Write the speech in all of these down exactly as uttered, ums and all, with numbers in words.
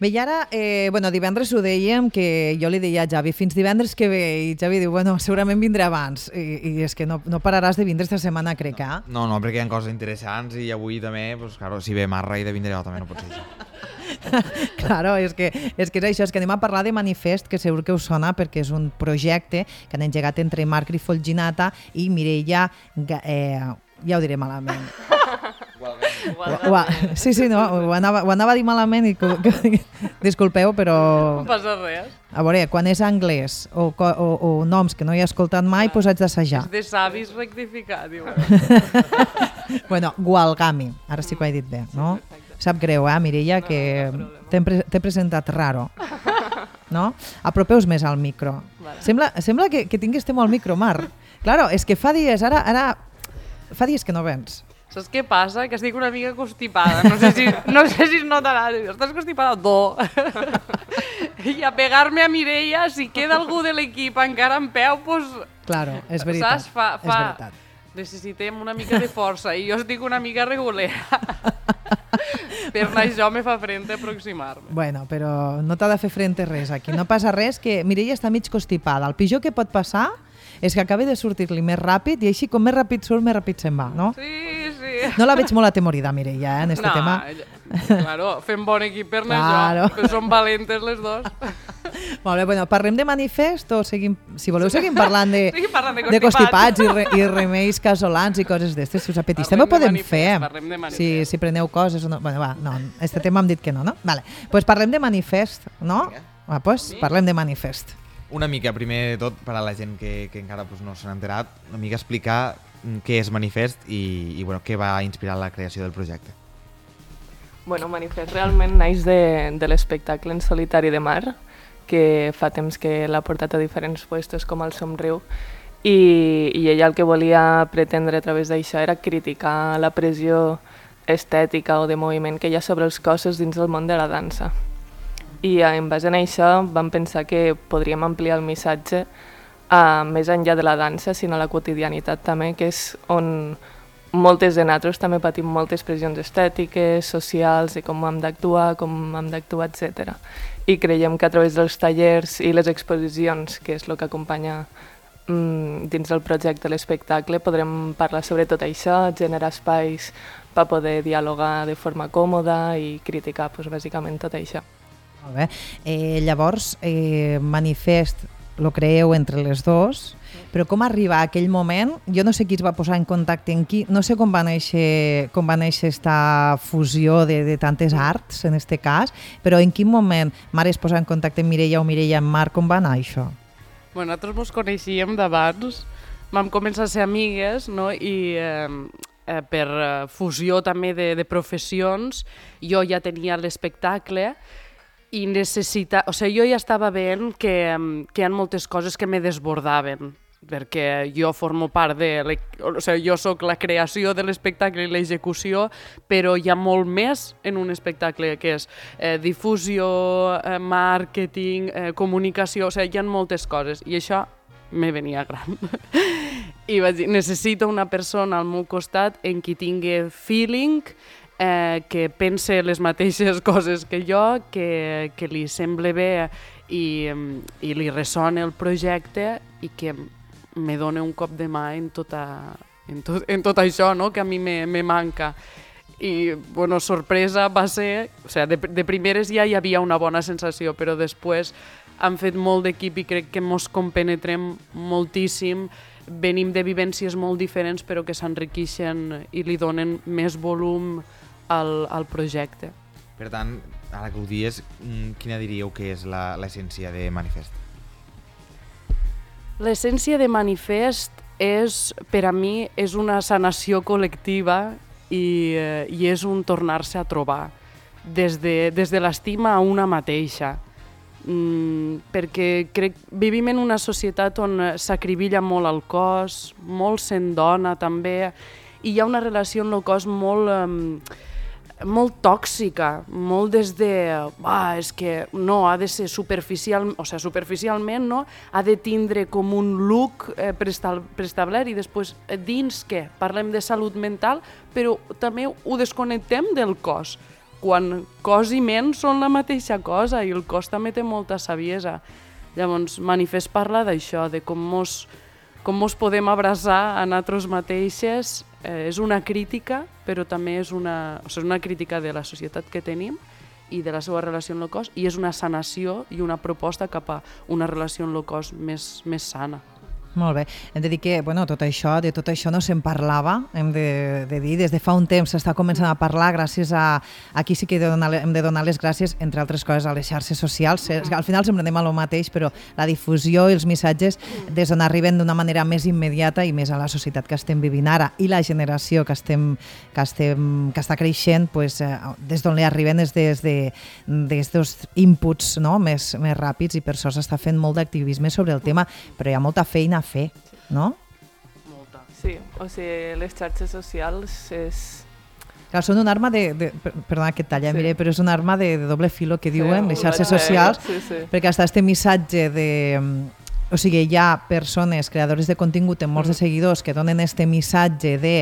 Bé, i ara, eh, bueno, divendres ho dèiem, que jo li deia a Javi, fins divendres que ve, i Javi diu, bueno, segurament vindrà abans, i, i és que no, no pararàs de vindre esta setmana, crec, eh? No, no, perquè hi ha coses interessants i avui també, pues, claro, si ve Marra i de vindré jo també no pot ser això. Claro, és que, és que és això, és que anem a parlar de Manifest, que segur que us sona perquè és un projecte que han engegat entre Marc Rifolginata i Mireia, eh, ja ho diré malament. Gualgami. Sí, sí, no, ho anava, ho anava a dir malament i que, que, disculpeu, però... No passa res. A veure, quan és anglès o, o, o noms que no he escoltat mai, doncs haig d'assajar. És de savis rectificar, diu. Bueno, Gualgami, ara sí que ho he dit bé, no? Sap greu, eh, Mireia, que t'he presentat raro. No? Apropeu-vos més al micro. Vale. Sembla, sembla que, que tingués temor al micro, Marc. Claro, és que fa dies, ara, ara... Fa dies que no vens. Saps què passa? Que estic una mica constipada. No sé si, no sé si es notarà. Estàs constipada? No. I a pegar-me a Mireia, si queda algú de l'equip encara en peu, doncs... Claro, és veritat. Saps? Fa, fa... És veritat. Necessitem una mica de força i jo estic una mica regulera. Per això me fa frente aproximar-me. Bueno, però no t'ha de fer frente res aquí. No passa res, que Mireia està mig constipada. El pitjor que pot passar és que acabi de sortir-li més ràpid i així com més ràpid surt, més ràpid se'n va, no? Sí, sí. No la veig molt atemorida, Mireia, eh, en este no, tema. Claro, fem bon equip per Claro. això, però som valentes les dos. Molt bé, bueno, parlem de Manifest o seguim, si voleu seguim parlant de, Seguim parlant de de constipats. constipats i, re, i remeis casolans i coses d'estes, si us apeteix. Parlem També ho de podem Manifest, fer, parlem de Manifest. si, si preneu coses o no. Bueno, va, no, este tema hem dit que no, no? Vale, pues parlem de Manifest, no? Va, pues parlem de Manifest. Una mica, primer de tot, per a la gent que, que encara pues, no s'han enterat, una mica explicar què és Manifest i, i bueno, què va inspirar la creació del projecte. Bueno, Manifest realment naix de, de l'espectacle en solitari de Mar, que fa temps que l'ha portat a diferents puestos com el Somriu, i, i ella el que volia pretendre a través d'això era criticar la pressió estètica o de moviment que hi ha sobre els cossos dins del món de la dansa. I en base a això vam pensar que podríem ampliar el missatge a més enllà de la dansa, sinó a la quotidianitat també, que és on moltes de nosaltres també patim moltes pressions estètiques, socials, de com hem d'actuar, com hem d'actuar, etcètera. I creiem que a través dels tallers i les exposicions, que és el que acompanya mm, dins del projecte l'espectacle, podrem parlar sobre tot això, generar espais per poder dialogar de forma còmoda i criticar, doncs, bàsicament tot això. Molt bé. Eh, llavors, eh, Manifest lo creeu entre les dos, però com arribar a aquell moment? Jo no sé qui es va posar en contacte amb qui, no sé com va néixer, com va néixer esta fusió de, de tantes arts, en este cas, però en quin moment Mare es posa en contacte amb Mireia o Mireia amb Marc, com va anar això? Bueno, nosaltres ens coneixíem d'abans, vam començar a ser amigues, no? I eh, eh, per fusió també de, de professions, jo ja tenia l'espectacle, i necessita... O sigui, jo ja estava veient que, que hi ha moltes coses que me desbordaven, perquè jo formo part de... O sigui, jo sóc la creació de l'espectacle i l'execució, però hi ha molt més en un espectacle, que és eh, difusió, eh, màrqueting, eh, comunicació... O sigui, hi ha moltes coses, i això me venia gran. I vaig dir, necessito una persona al meu costat en qui tingui feeling, Eh, que pense les mateixes coses que jo, que, que li sembla bé i, i li ressona el projecte i que me dona un cop de mà en, tota, en, tot, en tot això, no? Que a mi me, me manca. I, bueno, sorpresa va ser... O sigui, de, de primeres ja hi havia una bona sensació, però després han fet molt d'equip i crec que mos compenetrem moltíssim. Venim de vivències molt diferents, però que s'enriqueixen i li donen més volum al, al projecte. Per tant, ara que ho dies, quina diríeu que és la, l'essència de Manifest? L'essència de Manifest és, per a mi, és una sanació col·lectiva i, eh, i és un tornar-se a trobar des de, des de l'estima a una mateixa. Mm, perquè crec vivim en una societat on s'acribilla molt el cos, molt sent dona també, i hi ha una relació amb el cos molt... Eh, molt tòxica, molt des de, ah, és que no, ha de ser superficial, o sigui, superficialment, no? Ha de tindre com un look eh, preestablert i després dins què? Parlem de salut mental, però també ho desconnectem del cos. quan cos i ment són la mateixa cosa i el cos també té molta saviesa. Llavors, Manifest parla d'això, de com mos, com mos podem abraçar a nosaltres mateixes. Eh, és una crítica, però també és una, o sigui, una crítica de la societat que tenim i de la seva relació amb el cos, i és una sanació i una proposta cap a una relació amb el cos més, més sana. Molt bé. Hem de dir que bueno, tot això, de tot això no se'n parlava, hem de, de dir, des de fa un temps s'està començant a parlar gràcies a... Aquí sí que de donar, hem de donar les gràcies, entre altres coses, a les xarxes socials. Al final sempre anem a lo mateix, però la difusió i els missatges des d'on arriben d'una manera més immediata i més a la societat que estem vivint ara i la generació que, estem, que, estem, que està creixent, pues, eh, des d'on li arriben és des de, des dels inputs, no? més, més ràpids, i per això s'està fent molt d'activisme sobre el tema, però hi ha molta feina a fer, no? Molta. Sí, o sigui, les xarxes socials és... Clar, són una arma de... de perdona que et talla, sí. Mire, però és una arma de, de doble filo que diuen, sí, les xarxes socials, sí, sí. perquè està este missatge de... O sigui, hi ha persones, creadores de contingut amb molts de seguidors que donen este missatge de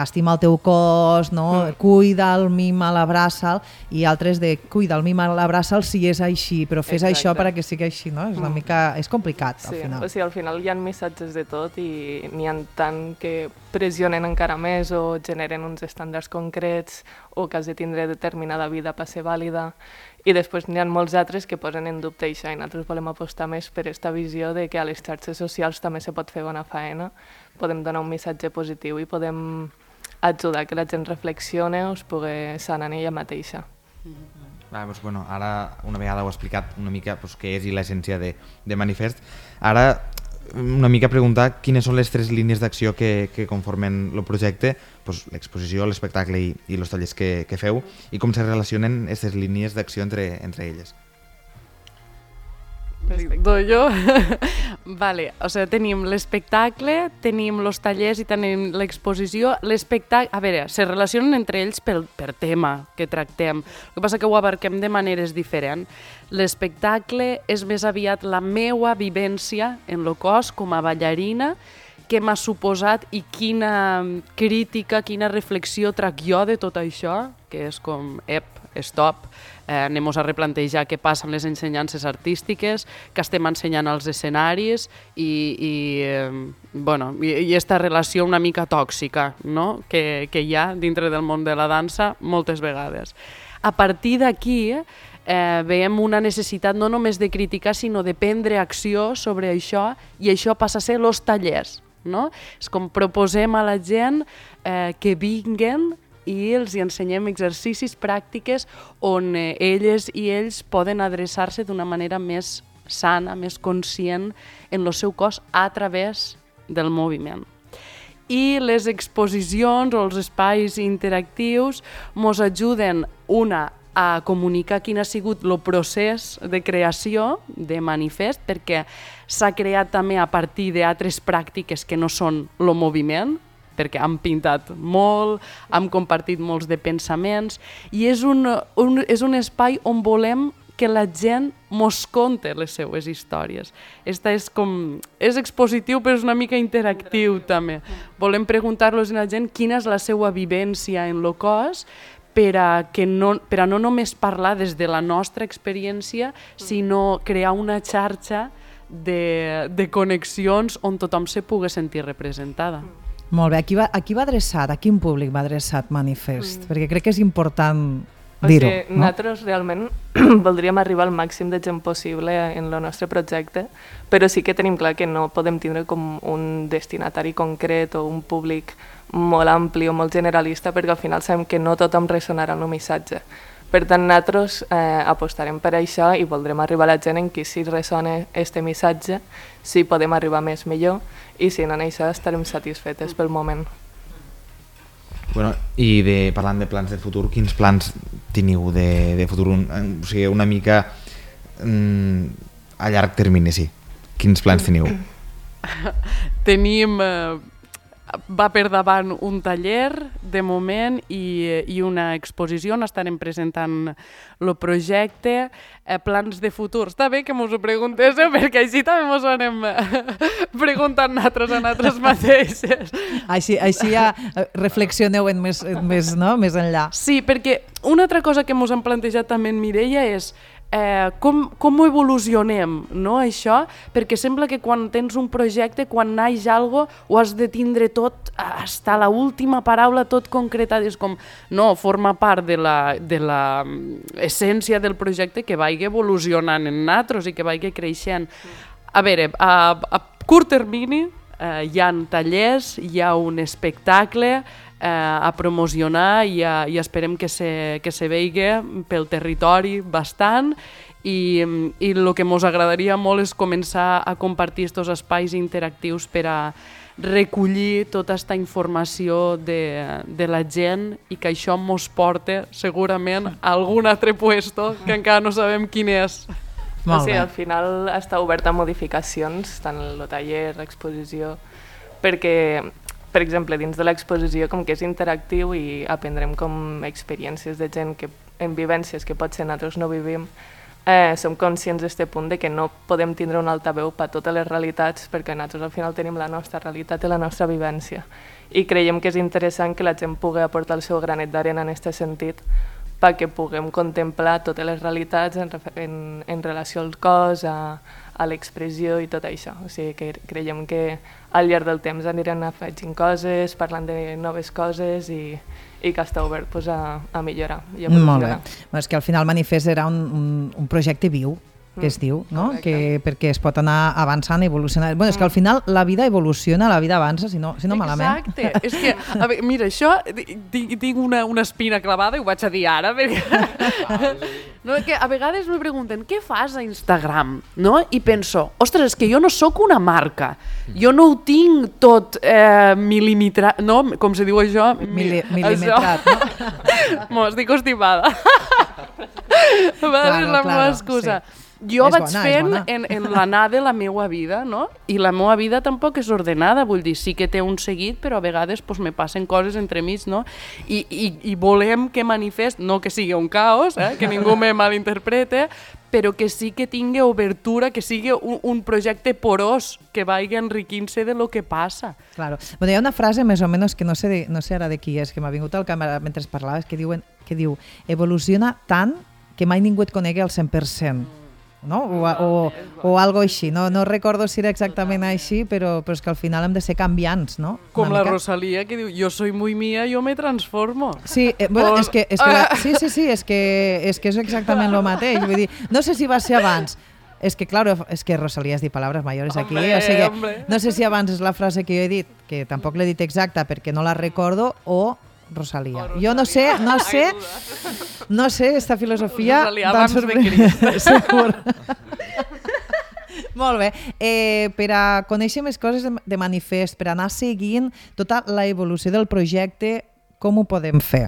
estima el teu cos, no? Mm. Cuida'l, mima'l, abraça'l, i altres de cuida'l, mima'l, abraça'l si és així, però fes Exacte. Això perquè sigui així, no? És una mm. mica... És complicat, sí, al final. O sigui, al final hi ha missatges de tot i n'hi ha tant que pressionen encara més o generen uns estàndards concrets o que has de tindre determinada vida per ser vàlida. I després n'hi ha molts altres que posen en dubte això i nosaltres volem apostar més per aquesta visió de que a les xarxes socials també se pot fer bona faena, podem donar un missatge positiu i podem ajudar que la gent reflexione o es pugui sanar en ella mateixa. Mm-hmm. Ah, doncs, bueno, ara una vegada ho he explicat una mica doncs, què és i l'essència de, de Manifest. Ara una mica preguntar quines són les tres línies d'acció que, que conformen el projecte, doncs, l'exposició, l'espectacle i, i els tallers que, que feu, i com se relacionen aquestes línies d'acció entre, entre elles. Doy jo? Vale, o sigui, tenim l'espectacle, tenim els tallers i tenim l'exposició. L'espectacle, a veure, se relacionen entre ells per, per tema que tractem. El que passa que ho abarquem de maneres diferents. L'espectacle és més aviat la meua vivència en el cos com a ballarina, què m'ha suposat i quina crítica, quina reflexió trac jo de tot això, que és com, ep, stop, eh, anem-nos a replantejar què passa amb les ensenyances artístiques, que estem ensenyant als escenaris i, i, eh, bueno, i, i esta relació una mica tòxica, no? que, que hi ha dintre del món de la dansa moltes vegades. A partir d'aquí eh, veiem una necessitat no només de criticar, sinó de prendre acció sobre això, i això passa a ser els tallers. No? És com proposem a la gent eh, que vinguen i els hi ensenyem exercicis, pràctiques on eh, elles i ells poden adreçar-se d'una manera més sana, més conscient en el seu cos a través del moviment. I les exposicions o els espais interactius ens ajuden, una, a comunicar quin ha sigut el procés de creació de Manifest, perquè s'ha creat també a partir d'altres pràctiques que no són el moviment, perquè hem pintat molt, hem compartit molts de pensaments, i és un, un, és un espai on volem que la gent mos conte les seues històries. Esta és com, és expositiu però és una mica interactiu també. Volem preguntar-los a la gent quina és la seva vivència en el cos, per a, que no, per a no només parlar des de la nostra experiència, sinó crear una xarxa de, de connexions on tothom se pugui sentir representada. Molt bé, a qui va, a qui va adreçat, a quin públic va adreçat Manifest? Mm. Perquè crec que és important dir-ho. O sigui, no? Nosaltres realment voldríem arribar al màxim de gent possible en el nostre projecte, però sí que tenim clar que no podem tindre com un destinatari concret o un públic molt ampli o molt generalista, perquè al final sabem que no tothom ressonarà en el missatge. Per tant, nosaltres eh, apostarem per això i voldrem arribar a la gent en qui si ressona este missatge, si podem arribar més millor, i si no en això estarem satisfetes pel moment. Bueno, i de, parlant de plans de futur, quins plans teniu de, de futur? Un, o sigui, una mica mm, a llarg termini, sí. Quins plans teniu? Tenim... Eh... va per davant un taller, de moment, i, i una exposició, on estarem presentant el projecte, eh, plans de futur. Està bé que mos ho preguntéssiu, perquè així també mos ho anem preguntant nosaltres a nosaltres mateixes. Així, així ja reflexioneu en més, en més, no? més enllà. Sí, perquè una altra cosa que mos han plantejat també en Mireia és Eh, com, com ho evolucionem, no, això? Perquè sembla que quan tens un projecte, quan naix algo, ho has de tindre tot, hasta la última paraula, tot concretat. És com, no, forma part de la, de la essència del projecte que vagi evolucionant en nosaltres i que vagi creixent. A veure, a, a curt termini eh, hi ha tallers, hi ha un espectacle eh, a promocionar i, a, i esperem que se, que se vegi pel territori bastant i, i el que ens agradaria molt és començar a compartir aquests espais interactius per a recollir tota aquesta informació de, de la gent i que això ens porta segurament a algun altre puesto que encara no sabem quin és. O sigui, al final està obert a modificacions, tant el taller, l'exposició, perquè, per exemple, dins de l'exposició com que és interactiu i aprendrem com experiències de gent que, en vivències que potser nosaltres no vivim, eh, som conscients d'aquest punt de que no podem tindre un altaveu per totes les realitats perquè nosaltres al final tenim la nostra realitat i la nostra vivència. I creiem que és interessant que la gent pugui aportar el seu granet d'arena en aquest sentit perquè puguem contemplar totes les realitats en, en, en relació al cos, a, a l'expressió i tot això. O sigui que creiem que al llarg del temps anirem afegint coses, parlant de noves coses i, i que està obert pues, a, a millorar i a evolucionar. Molt bé. És que al final Manifest era un, un, un projecte viu, que es diu, no? Que, perquè es pot anar avançant i evolucionant. Bueno, és que al final la vida evoluciona, la vida avança, si no, si no malament. Exacte. És que, a veure, mira, això, tinc una, una espina clavada i ho vaig a dir ara, perquè... No, que a vegades me pregunten, què fas a Instagram? No? I penso, ostres, és que jo no sóc una marca, jo no ho tinc tot eh, milimetrat, no? Com se diu això? Mili milimetrat, no? Mo, estic constipada. A vegades claro, és la claro, meva excusa. Sí. Jo és vaig bona, fent en, en l'anar de la meva vida, no? I la meva vida tampoc és ordenada, vull dir, sí que té un seguit, però a vegades pues, me passen coses entremig, no? I, i, i volem que Manifest, no que sigui un caos, eh? Que ningú me malinterprete, però que sí que tingui obertura, que sigui un, un projecte porós, que vagi enriquint-se de lo que passa. Claro. Bueno, hi ha una frase més o menys que no sé, de, no sé ara de qui és, que m'ha vingut al càmera mentre parlaves, que, diuen, que diu, evoluciona tant que mai ningú et conegui al cent per cent. No? O, o, o algo així, no, no recordo si era exactament així, però, però és que al final hem de ser canviants, no? Com la Rosalía, que diu, jo soy muy mía, yo me transformo. Sí, eh, bueno, és que, és que la, sí, sí, sí, és que, és que és exactament el mateix. Vull dir, no sé si va ser abans, és que, claro, és que Rosalía has dit palabras mayores aquí, hombre, o sigui, hombre. No sé si abans és la frase que jo he dit, que tampoc l'he dit exacta perquè no la recordo, o Rosalía. Jo no sé, no sé, no sé, esta filosofia... Rosalía abans de Crist. Segur. Molt bé. Eh, per a conèixer més coses de, de Manifest, per anar seguint tota la evolució del projecte, com ho podem fer?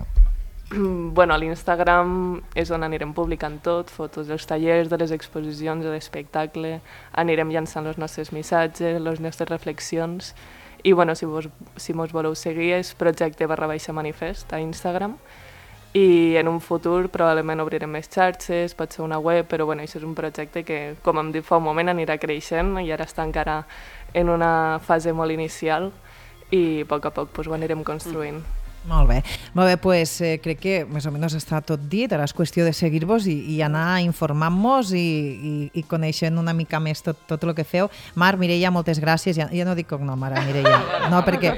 Bueno, a l'Instagram és on anirem publicant tot, fotos dels tallers, de les exposicions, de l'espectacle, anirem llançant els nostres missatges, les nostres reflexions. I bueno, si vos, si mos voleu seguir és projecte barra baixa manifest a Instagram i en un futur probablement obrirem més xarxes, pot ser una web, però bueno, això és un projecte que, com hem dit fa un moment, anirà creixent i ara està encara en una fase molt inicial i a poc a poc pues, ho anirem construint. Mm. Molt bé, molt bé, pues, eh, crec que més o menys està tot dit, ara és qüestió de seguir-vos i, i anar informant-nos i, i, i coneixent una mica més tot, tot el que feu. Mar, Mireia, moltes gràcies, ja, ja no dic cognom ara, Mireia, no perquè,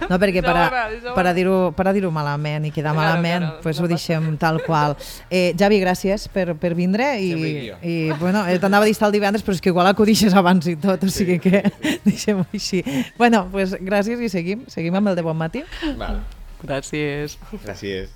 no, perquè per a, per a dir-ho per a dir-ho malament i quedar malament, pues ho deixem tal qual. Eh, Javi, gràcies per, per vindre i, i bueno, t'anava a dir estar el divendres, però és que igual acudixes abans i tot, o sigui que deixem-ho així. Bueno, pues gràcies i seguim, seguim amb el de Bon Matí. Val. Gràcies. Gràcies.